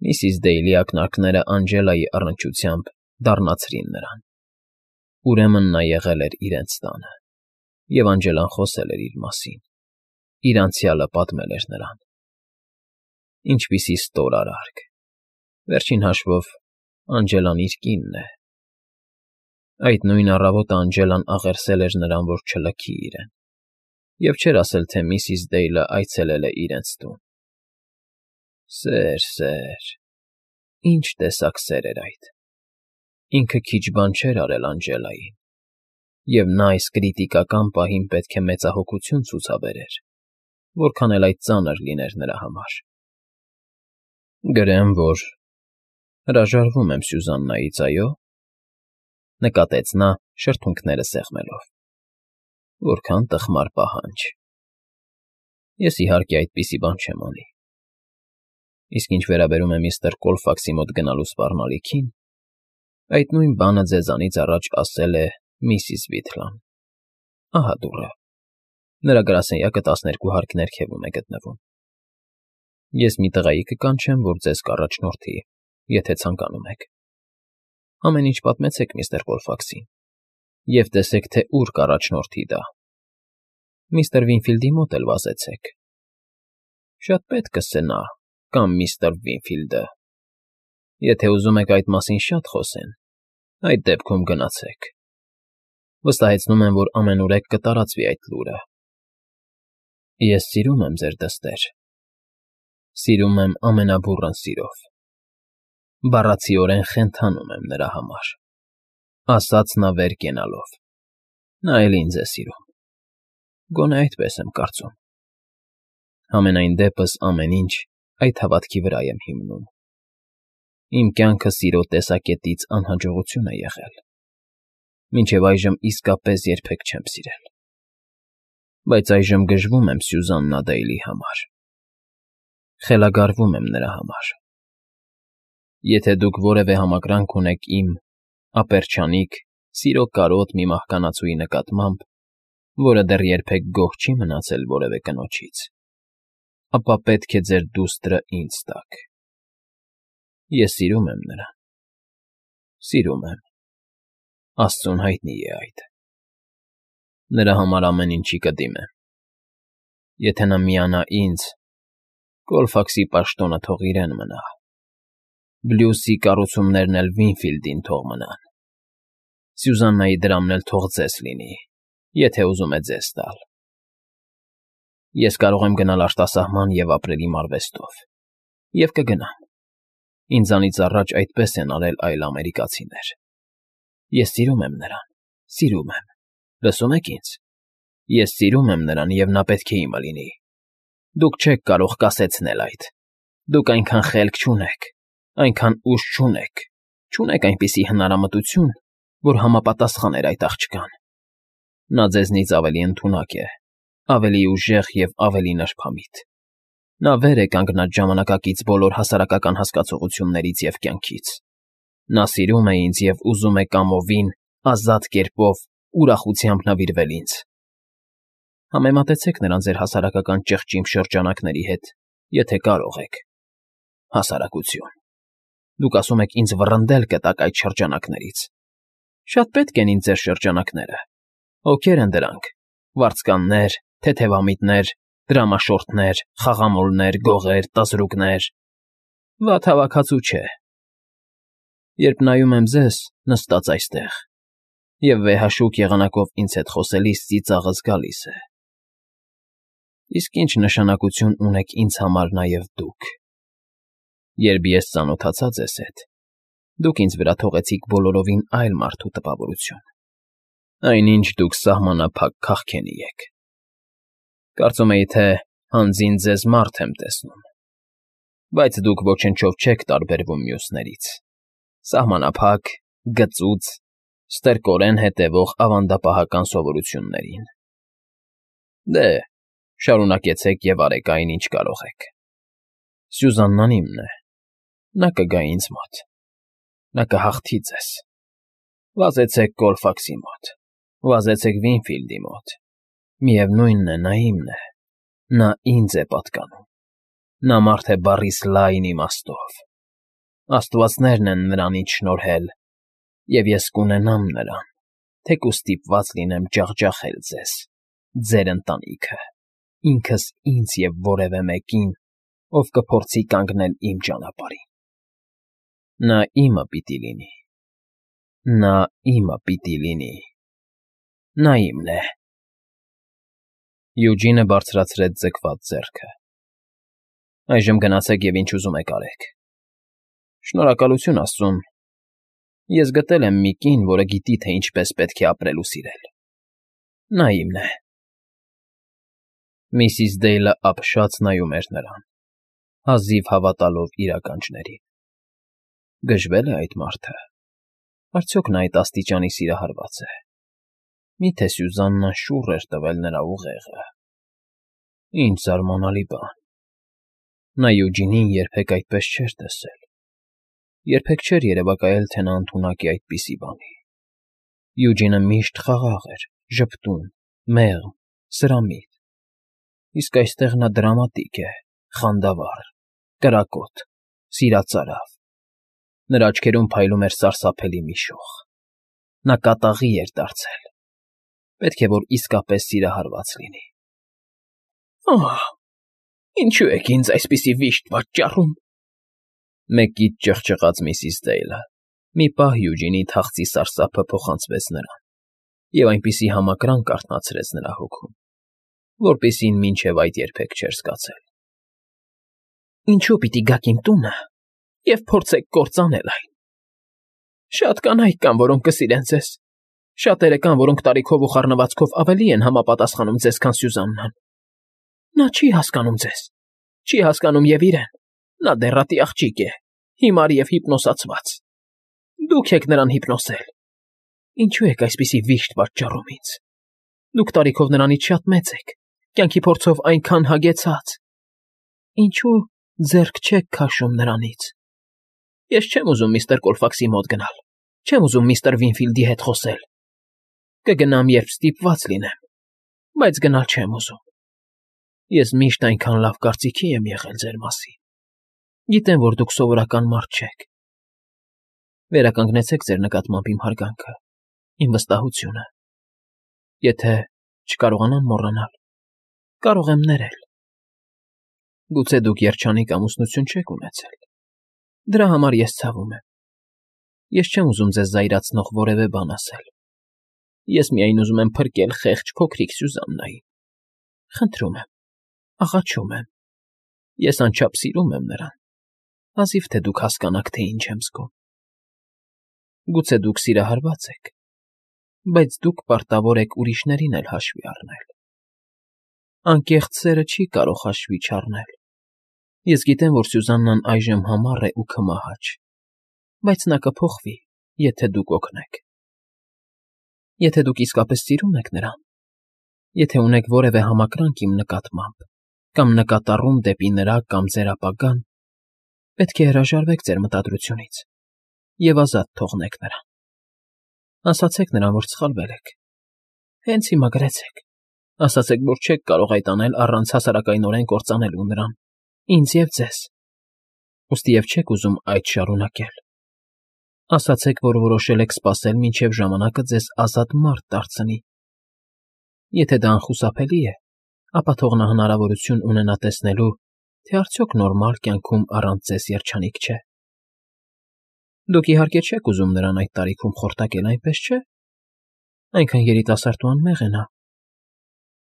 Միսիս Դեյլի ակնարկները Անջելայի առնչությամբ դառնացրին նրան. ուրեմն նա եղել էր իրենց տանը, և Անջելան խոսել էր իր մասին, իր անցյալը պատմել էր նրան։ Ինչպիսի ստոր արարք, վերջին հաշվով Անջելան իր կինն է։ Այդ նույն առավոտը Անջելան աղերսել էր նրան, որ չլքի իրեն, և չէր ասել, թե միսիս Դեյլը այցելել է իրենց տուն։ Սեր, ինչ տեսակ սեր էր այդ։ Ինքը քիչ բան չէր արել Անջելային, և նա այս կրիտիկական պահին պետք է մեծահոգություն ցուցաբերեր, որքան էլ այդ ծանր լիներ նրա համար։ Գրեմ, որ հրաժարվում եմ Սյուզաննայից, այո՞, նկատեց նա, շրթունքները սեղմելով։ Որքան տխմար պահանջ։ Ես իհարկե այդպիսի բան չեմ անի։ Իսկ ինչ վերաբերում է միստր Կոլֆաքսի մոտ գնալու սպառնալիքին, այդ նույն բանը ձեզանից առաջ ասել է միսիս Վիթլան։ Ահա դուռը։ Նրա գրասենյակը 12 հարկ ներքևում է գտնվում։ Ես մի տղայի կկանչեմ, որ ձեզ կառաջնորդի, եթե ցանկանում եք։ Ամեն ինչ պատմեցեք միստր Կոլֆաքսին և տեսեք, թե ուր կառաջնորդի դա։ Միստր Վինֆիլդի մոտ էլ վազեցեք։ Շատ պետք կսե նա կամ միստր Վինֆիլդը։ Եթե ուզում եք այդ մասին շատ խոսեն, այդ դեպքում գնացեք։ Վստահեցնում եմ, որ ամենուրեք կտարածվի այդ լուրը։ Ես սիրում եմ ձեր դստեր։ Սիրում եմ ամենաբուռն սիրով։ Բառացիորեն խենթանում եմ նրա համար, ասաց նա վեր կենալով։ Նա էլ ինձ է սիրում։ Գոնե այդպես եմ կարծում։ Համենայն դեպս ամեն ինչ այդ հավատքի վրա եմ հիմնում։ Իմ կյանքը սիրո տեսակետից անհաջողություն է եղել։ Մինչև այժմ իսկապես երբեք չեմ սիրել։ Բայց այժմ գժվում եմ Սյուզաննա Դեյլի համար։ Խելագարվում եմ նրա համար։ Եթե դուք որևէ համակրանք ունեք իմ ապերչանիկ, սիրո կարոտ մի մահկանացուի նկատմամբ, որը դեռ երբեք գոհ չի մնացել որևէ կնոջից, ապա պետք է ձեր դուստրը ինձ տաք։ Ես սիրում եմ նրան։ Սիրում եմ։ Աստծուն հայտնի է այդ։ Նրա համար ամեն ինչի կդիմեմ։ Եթե նա միանա ինձ, Կոլֆաքսի պաշտոնը թող իրեն մնա։ Բլյուսի կառուցումներն էլ Վինֆիլդին թող մնան։ Սյուզաննայի դրամն էլ թող ձեզ լինի, եթե ուզում է ձեզ տալ։ Ես կարող եմ գնալ արտասահման և ապրել իմ արվեստով։ Եվ կգնամ։ Ինձանից առաջ այդպես են արել այլ ամերիկացիներ։ Ես սիրում եմ նրան, սիրում եմ։ Լսում եք ինձ։ Ես սիրում եմ նրան, և նա պետք է իմը լինի։ Դուք չեք կարող կասեցնել այդ։ Դուք այնքան խելք չունեք, այնքան ուժ չունեք այնպիսի հնարամտություն, որ համապատասխաներ այդ աղջկան։ Նա ձեզնից ավելի ընդունակ է, ավելի ուժեղ և ավելի նրբամիտ։ Նա վեր է կանգնած ժամանակակից բոլոր հասարակական հասկացություններից և կյանքից։ Նա սիրում է ինձ և ուզում է կամովին, ազատ կերպով, ուրախությամբ նվիրվել ինձ։ Համեմատեցեք նրան ձեր հասարակական ճղճիմ շրջանակների հետ, եթե կարող եք։ Հասարակություն։ Դուք ասում եք ինձ վռնդել կտակ այդ շրջանակներից։ Շատ պետք են ինձ ձեր շրջանակները։ Ովքեր են դրանք։ Վարձկաններ, թեթևամիտներ, դրամաշորթներ, խաղամոլներ, գողեր, տզրուկներ։ Վատ հավաքածու չէ։ Երբ նայում եմ ձեզ, նստած այստեղ, և վեհաշուկ եղանակով ինձ հետ խոսելիս ծիծաղս գալիս է։ Իսկ ինչ նշանակություն ունեք ինձ համար նաև դուք։ Երբ ես ծանոթացա ձեզ հետ, դուք ինձ վրա թողեցիք բոլորովին այլ մարդու տպավորություն։ Այնինչ դուք սահմանափակ քաղքենի եք։ Կարծում էի, թե հանձին ձեզ մարդ եմ տեսնում։ Բայց դուք ոչնչով չեք տարբերվում մյուսներից։ Սահմանափակ, գծուծ, ստրկորեն հետևող ավանդապահական սովորություններին։ Դե, շարունակեցեք և արեք այն, ինչ կարող եք։ Սյուզաննան իմն է։ Նա կգա ինձ մոտ։ Նա կհաղթի ձեզ։ Վազեցեք Կոլֆաքսի մոտ, վազեցեք Վինֆիլդի մոտ։ Միևնույնն է, նա իմն է։ Նա ինձ է պատկանում։ Նա մարդ է բառիս լայն իմաստով։ Աստվածներն են նրանից շնորհել, և ես կունենամ նրան, թեկուզ ստիպված լինեմ ջախջախել ձեզ, ձեր ընտանիքը, ինքս ինձ և որևէ մեկին, ով կփորձի կանգնել իմ ճանապարհին։ Նա իմը պիտի լինի, նա իմը պիտի լինի, նա իմն է։ Յուջինը բարձրացրեց ձգված ձեռքը։ Այժմ գնացեք և ինչ ուզում եք արեք։ Շնորհակալություն աստծուն, ես գտել եմ մի կին, որը գիտի, թե ինչպես պետք է ապրել ու սիրել։ Նա իմն է։ Միսիս Դեյլը ապշած նայում էր նրան, հազիվ հավատալով իր ականջներին։ Գժվե՞լ է այդ մարդը։ Արդյոք նա այդ աստիճանի սիրահարված է։ Մի՞թե Սյուզաննան շուռ էր տվել նրա ուղեղը։ Ինչ զարմանալի բան։ Նա Յուջինին երբեք այդպես չէր տեսել։ Երբեք չէր երևակայել, թե նա ընդունակ է այդպիսի բանի։ Յուջինը միշտ խաղաղ էր, ժպտուն, մեղմ, սրամիտ։ Իսկ այստեղ նա դրամատիկ է, խանդավառ, կրակոտ, սիրածարավ։ Նրա աչքերում փայլում էր սարսափելի մի շող։ Նա կատաղի էր դարձել։ Պետք է որ իսկապես սիրահարված լինի։ Ահ, ինչու եք ինձ այսպիսի վիշտ պատճառում։ Մեկից ճղճղաց միսիս Դեյլը։ Մի պահ Յուջինի թախծի սարսափը փոխանցվեց նրան և այնպիսի համակրանք արթնացրեց նրա հոգում, որպիսին մինչև այդ երբեք չէր զգացել։ Ինչու պիտի գաք իմ տունը և փորձեք կործանել այն։ Շատ կանայք կան, որոնք կսիրեն ձեզ։ Շատերը կան, որոնք տարիքով ու խառնվածքով ավելի են համապատասխանում ձեզ, քան Սյուզաննան։ Նա չի հասկանում ձեզ, չի հասկանում և իրեն։ Նա դեռատի աղջիկ է, հիմար և հիպնոսացված։ Դուք եք նրան հիպնոսել։ Ինչու եք այսպիսի վիշտ պատճառում ինձ։ Դուք տարիքով նրանից շատ մեծ եք, կյանքի փորձով այնքան հագեցած։ Ինչու ձեռք չեք քաշում նրանից։ Ես չեմ ուզում միստր Կոլֆաքսի մոտ գնալ, չեմ ուզում միստր Վինֆիլդի հետ խոսել։ Կգնամ, երբ ստիպված լինեմ, բայց գնալ չեմ ուզում։ Ես միշտ այնքան լավ կարծիքի եմ եղել ձեր մասին։ Գիտեմ, որ դուք սովորական մարդ չեք։ Վերականգնեցեք ձեր նկատմամբ իմ հարգանքը, իմ վստահությունը։ Եթե չկարողանամ մոռանալ, կարող եմ ներել։ Գուցե դուք երջանիկ ամուսնություն չեք ունեցել։ Դրա համար ես ցավում եմ։ Ես չեմ ուզում ձեզ զայրացնող որևէ բան ասել։ Ես միայն ուզում եմ փրկել խեղճ փոքրիկ Սյուզաննային։ Խնդրում եմ, աղաչում եմ։ Ես անչափ սիրում եմ նրան։ Հազիվ թե դուք հասկանաք, թե ինչ եմ զգում։ Գուցե դուք սիրահարված եք, բայց դուք պարտավոր եք ուրիշներին էլ հաշվի առնել։ Անկեղծ սերը չի կարող հաշվի չառնել։ Ես գիտեմ, որ Սյուզաննան այժմ համառ է ու քմահաճ, բայց նա կփոխվի, եթե դուք օգնեք։ Եթե դուք իսկապես սիրում եք նրան, եթե ունեք որևէ համակրանք իմ նկատմամբ, կամ նկատառում դեպի նրա կամ ձեր ապագան, պետք է հրաժարվեք ձեր մտադրությունից և ազատ թողնեք նրան։ Ասացեք նրան, որ սխալվել եք։ Հենց հիմա գրեցեք։ Ասացեք, որ չեք կարող այդ անել առանց հասարակայնորեն կործանելու նրան, ինձ և ձեզ։ Ուստի և չեք ուզում այդ շարունակել։ Ասացեք, որ որոշել եք սպասել, մինչև ժամանակը ձեզ ազատ մարդ դարձնի։ Եթե դա անխուսափելի է, ապա թող նա հնարավորություն ունենա տեսնելու, թե արդյոք նորմալ կյանքում առանց ձեզ երջանիկ չէ։ Դուք իհարկե չեք ուզում նրան այդ տարիքում խորտակել, այնպես չէ։ Այնքան երիտասարդ ու անմեղ է նա։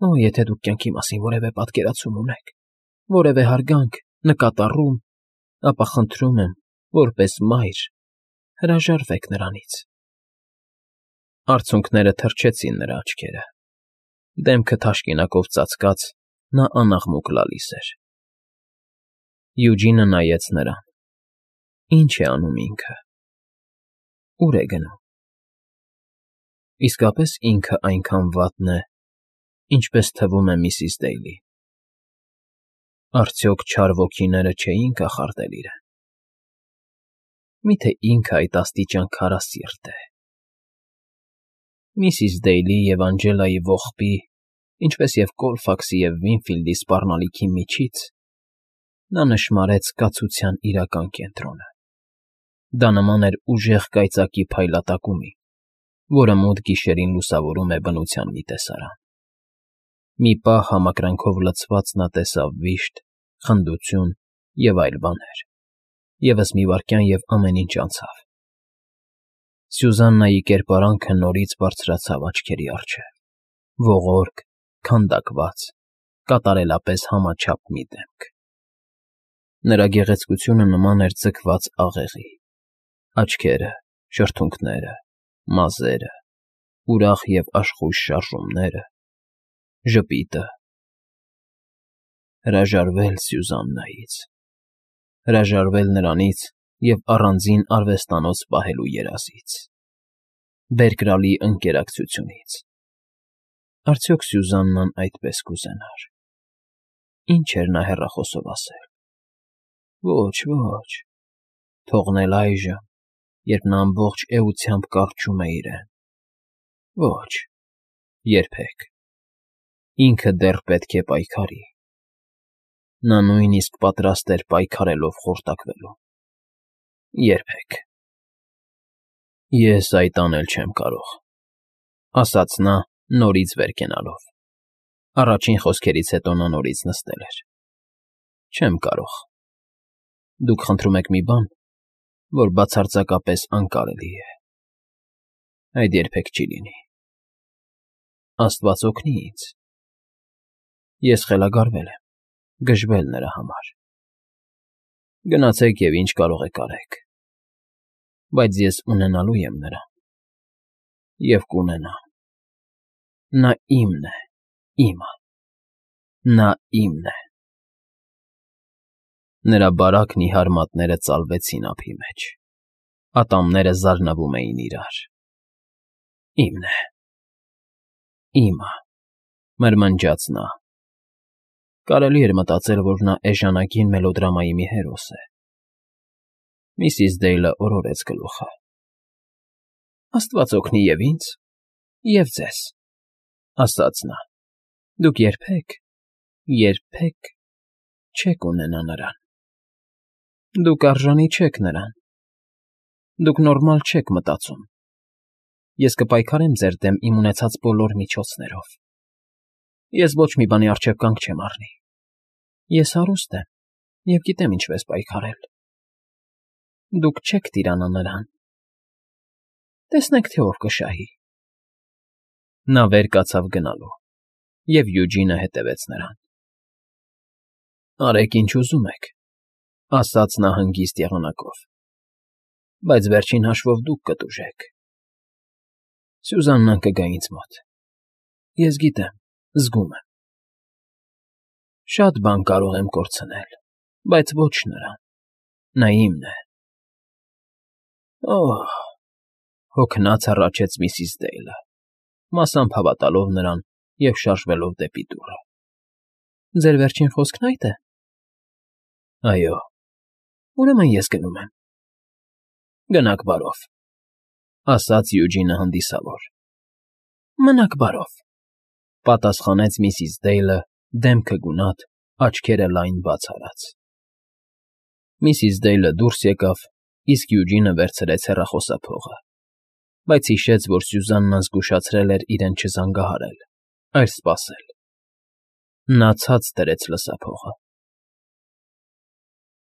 Օ, եթե դուք կյանքի մասին որևէ պատկերացում ունեք, որևէ հարգանք, նկատառում, ապա խնդրում եմ, որպես մայր, հրաժարվեք նրանից։ Արցունքները թրջեցին նրա աչքերը։ Դեմքը թաշկինակով ծածկած, նա անաղմուկ լալիս էր։ Յուջինը նայեց նրան։ Ինչ է անում ինքը։ Ուր է գնում։ Իսկապես ինքը այնքան վատն է, ինչպես թվում է միսիս Դեյլի։ Արդյոք չար ոգիները չէին կախարդել իրեն։ Միթե ինքը այդ աստիճան քարասիրտ է։ Միսիս Դեյլի և Անջելայի ողբի, ինչպես և Կոլֆաքսի և Վինֆիլդի սպառնալիքի միջից նա նշմարեց կացության իրական կենտրոնը։ Դա նման էր ուժեղ կայծակի փայլատակումի, որը մութ գիշերին լուսավորում է բնության մի տեսարան։ Մի պահ համակրանքով լցված նա տեսավ վիշտ, խնդություն և այլ բաներ, ևս մի վայրկյան և ամեն ինչ անցավ։ Սյուզաննայի կերպարանքը նորից բարձրացավ աչքերի առջև, ողորկ, քանդակված, կատարելապես համաչափ մի դեմք։ Նրա գեղեցկությունը նման էր ձգված աղեղի. աչքերը, շրթունքները, մազերը, ուրախ և աշխույժ շարժումները, ժպիտը… Հրաժարվել Սյուզաննայից, հրաժարվել նրանից և առանձին արվեստանոց պահելու երազից, Բերկրալի ընկերակցությունից… Արդյոք Սյուզաննան այդպես կուզենա՞ր… Ինչ էր նա հեռախոսով ասել… Ոչ, ոչ… Թողնել այժմ, երբ նա ամբողջ էությամբ կառչում է իրեն… Ոչ… Երբեք… Ինքը դեռ պետք է պայքարի… Նա նույնիսկ պատրաստ էր պայքարելով խորտակվելու… Երբեք… Ես այդ անել չեմ կարող,֊ ասաց նա՝ նորից վեր կենալով. առաջին խոսքերից հետո նա նորից նստել էր։ Չեմ կարող… Դուք խնդրում եք մի բան, որ բացարձակապես անկարելի է… Այդ երբեք չի լինի… Աստված օգնի ինձ… Ես խելագարվել եմ, գժվել նրա համար… Գնացեք և ինչ կարող եք արեք… Բայց ես ունենալու եմ նրան… և կունենամ… Նա իմն է, իմը… Նա իմն է… Նրա բարակ նիհար մատները ծալվեցին ափի մեջ, ատամները զարնվում էին իրար… Իմն է… Իմը… Մրմնջաց նա… Կարելի էր մտածել, որ նա էժանագին մելոդրամայի մի հերոս է… Միսիս Դեյլը օրորեց գլուխը։ Աստված օգնի և ինձ, և ձեզ, ասաց նա… Դուք երբեք, երբեք չեք ունենա նրան… Դուք արժանի չեք նրան… Դուք նորմալ չեք մտածում… Ես կպայքարեմ ձեր դեմ իմ ունեցած բոլոր միջոցներով… Ես ոչ մի բանի առջև կանգ չեմ առնի… Ես հարուստ եմ և գիտեմ ինչպես պայքարել… Դուք չեք տիրանա նրան… Տեսնենք, թե ով կշահի… Նա վեր կացավ գնալու, և Յուջինը հետևեց նրան։ Արեք, ինչ ուզում եք,֊ ասաց նա հանգիստ եղանակով,֊ բայց վերջին հաշվով դուք կտուժեք… Սյուզաննան կգա ինձ մոտ… Ես գիտեմ, զգում եմ… Շատ բան կարող եմ կորցնել, բայց ոչ նրան… Նա իմն է… Օհ…֊ հոգնած հառաչեց միսիս Դեյլը, մասամբ հավատալով նրան և շարժվելով դեպի դուռը։ Ձեր վերջին խոսքն ա՞յդ է։ Այո։ Ուրեմն ես գնում եմ… Գնաք բարով,֊ ասաց Յուջինը հանդիսավոր։ Մնաք բարով,֊ պատասխանեց միսիս Դեյլը, դեմքը գունատ, աչքերը լայն բաց արած։ Միսիս Դեյլը դուրս եկավ, իսկ Յուջինը վերցրեց հեռախոսափողը, բայց հիշեց, որ Սյուզաննան զգուշացրել էր իրեն չզանգահարել, այլ սպասել։ Նա ցած դրեց լսափողը։